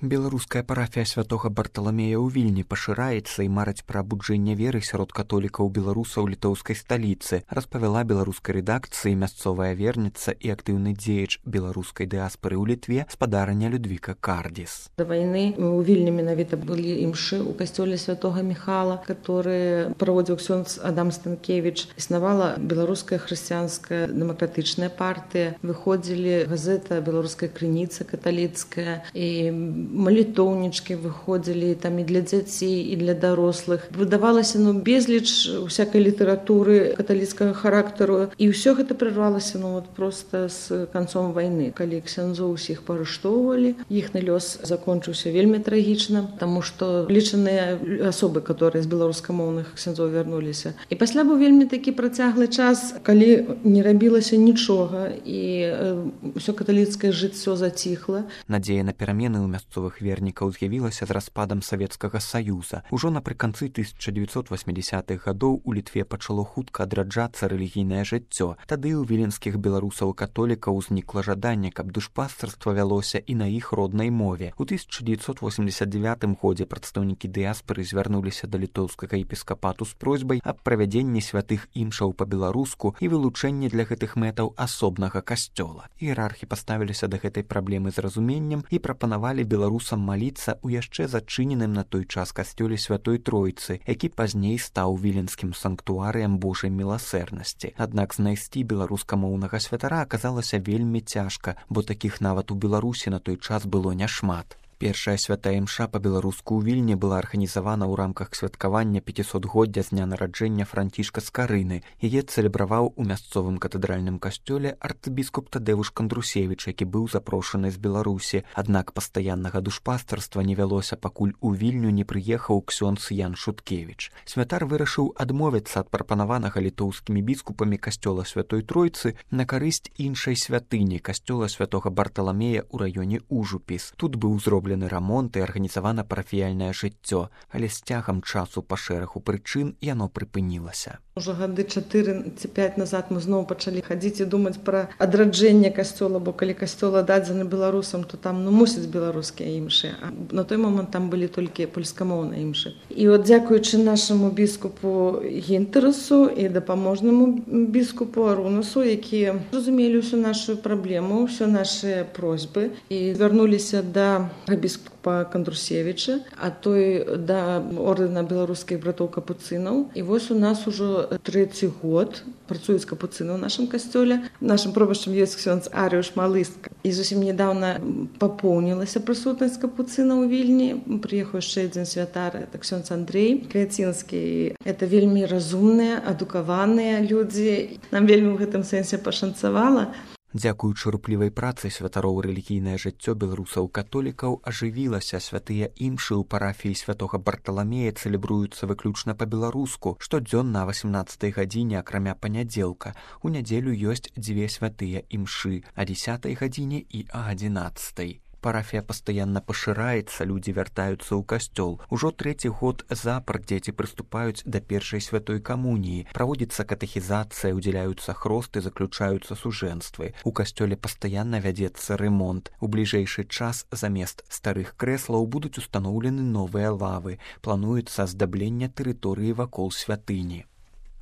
Беларуская парафія святога Барталамея ў Вільні пашыраецца і марыць пра абуджэнне веры сярод католікаў беларусаў літоўскай сталіцы, распавяла беларускай рэдакцыі мясцовая верніца і актыўны дзеяч беларускай дыаспары ў Літве спадарня Людвіка Кардіс. До вайны ў Вільні менавіта былі імшы ў касцёле святога Міхала, который праводзіў ксёндз Адам Станкевіч. Існавала беларуская хрысціянская дэмакратычная партыя, выходзілі газета «Беларуская крыніца» каталіцкая, і малітоўнічкі выходзілі там і для дзяцей, і для дарослых. Выдавалася безліч усякай літаратуры каталіцкага характару, і ўсё гэта прервалася проста з канцом вайны. Калі ксяндзоў усіх паарыштоўвалі, іхны лёс закончыўся вельмі трагічна, таму што лічаныя асобы, которые з беларускамоўных ксяндзоў вярнуліся. І пасля быў вельмі такі працяглы час, калі не рабілася нічога, і ўсё каталіцкае жыццё заціхла. Надзея на перамены ў мясцовых вернікаў з'явілася з распадам Савецкага Саюза. Ужо напрыканцы 1980-х гадоў у Літве пачало хутка адраджацца рэлігійнае жыццё. Тады ў віленскіх беларусаў-католікаў узнікла жаданне, каб душпастарства вялося і на іх роднай мове. У 1989 годзе прадстаўнікі дыаспары звярнуліся да літоўскага епіскапату з просьбай аб правядзенні святых імшаў па-беларуску і вылучэнні для гэтых мэтаў асобнага касцёла. Іерархі паставіліся да гэтай праблемы з разуменнем і прапанавалі беларусам маліцца ў яшчэ зачыненым на той час касцёле Святой Тройцы, які пазней стаў віленскім санктуарыям Божай міласэрнасці. Аднак знайсці беларускамоўнага святара аказалася вельмі цяжка, бо такіх нават у Беларусі на той час было няшмат. Першая святая імша па-беларуску ў Вільні была арганізавана ў рамках святкавання 500годдзя з дня нараджэння Францішка Скарыны. Яе цэлебраваў у мясцовым катэдральным касцёле арцыбіскуп Тадэвуш Кандрусевіч, які быў запрошаны з Беларусі. Аднак пастаяннага душпастарства не вялося, пакуль у Вільню не прыехаў ксёндз Ян Шуткевіч. Святар вырашыў адмовіцца ад прапанаванага літоўскімі біскупамі касцёла Святой Тройцы на карысць іншай святыні, касцёла святога Барталамея ў раёне Ужупіс. Тут быў зроблены рамонт і арганізавана парафіяльнае жыццё, але з цягам часу па шэрагу прычын яно прыпынілася. Ужо гады 4 ці 5 назад мы зноў пачалі хадзіць і думаць пра адраджэнне касцёла, бо калі касцёл аддадзены беларусам, то там мусяць беларускія імшы, а на той момант там былі толькі польскамоўныя імшы. І от дзякуючы нашаму біскупу Гінтэрасу і дапаможнаму біскупу Арунасу, якія разумелі ўсю нашу праблему, ўсё нашы просьбы і звярнуліся да біскупа Кандрусевіча, а той да ордэна беларускіх братоў капуцынаў. І вось у нас ужо 3-й год працуюць капуцыны ў нашым касцёле. Нашым пробашчам ёсць ксёндз Арыуш Малыстка. І зусім нядаўна папоўнілася прысутнасць капуцына ў Вільні. Прыехаў яшчэ адзін святар, это ксёндз Андрэй Каяцінскі. Это вельмі разумныя, адукаваныя людзі. Нам вельмі ў гэтым сэнсе пашанцавала. Дзякуючы руплівай працы святароў рэлігійнае жыццё беларусаў-католікаў ажывілася. Святыя імшы ў парафіі святога Барталамея цэлебруюцца выключна па-беларуску. Штодзённа о 18-й гадзіне, акрамя панядзелка. У нядзелю ёсць 2 святыя імшы о 10-й гадзіне і о 11-й. Парафія пастаянна пашыраецца, людзі вяртаюцца ў касцёл. Ужо 3-й год запар дзеці прыступаюць да першай святой камуніі. Праводзіцца катэхізацыя, удзяляюцца хросты, заключаюцца сужэнствы. У касцёле пастаянна вядзецца рэмонт. У бліжэйшы час замест старых крэслаў будуць устаноўлены новыя лавы. Плануецца аздабленне тэрыторыі вакол святыні.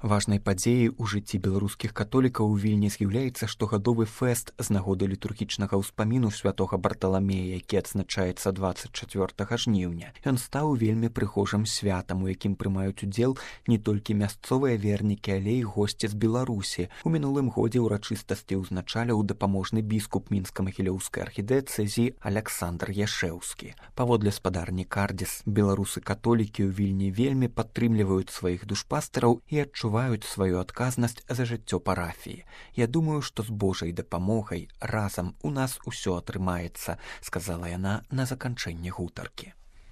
Важнай падзеяй у жыцці беларускіх католікаў у Вільні з'яўляецца штогадовы фэст з нагоды літургічнага ўспаміну святога Барталамея, які адзначаецца 24 жніўня. Ён стаў вельмі прыгожым святам, у якім прымаюць удзел не толькі мясцовыя вернікі, але і госці з Беларусі. У мінулым годзе ўрачыстасці ўзначаліў дапаможны біскуп мінска-магілёўскай архідыяцэзіі Аляксандр Яшэўскі. Паводле спадарні Кардіс, беларусы-католікі ў Вільні вельмі падтрымліваюць сваіх душпастараў і адчуваюць сваю адказнасць за жыццё парафіі. Я думаю, што з Божай дапамогай разам у нас усё атрымаецца, сказала яна на заканчэнне гутаркі.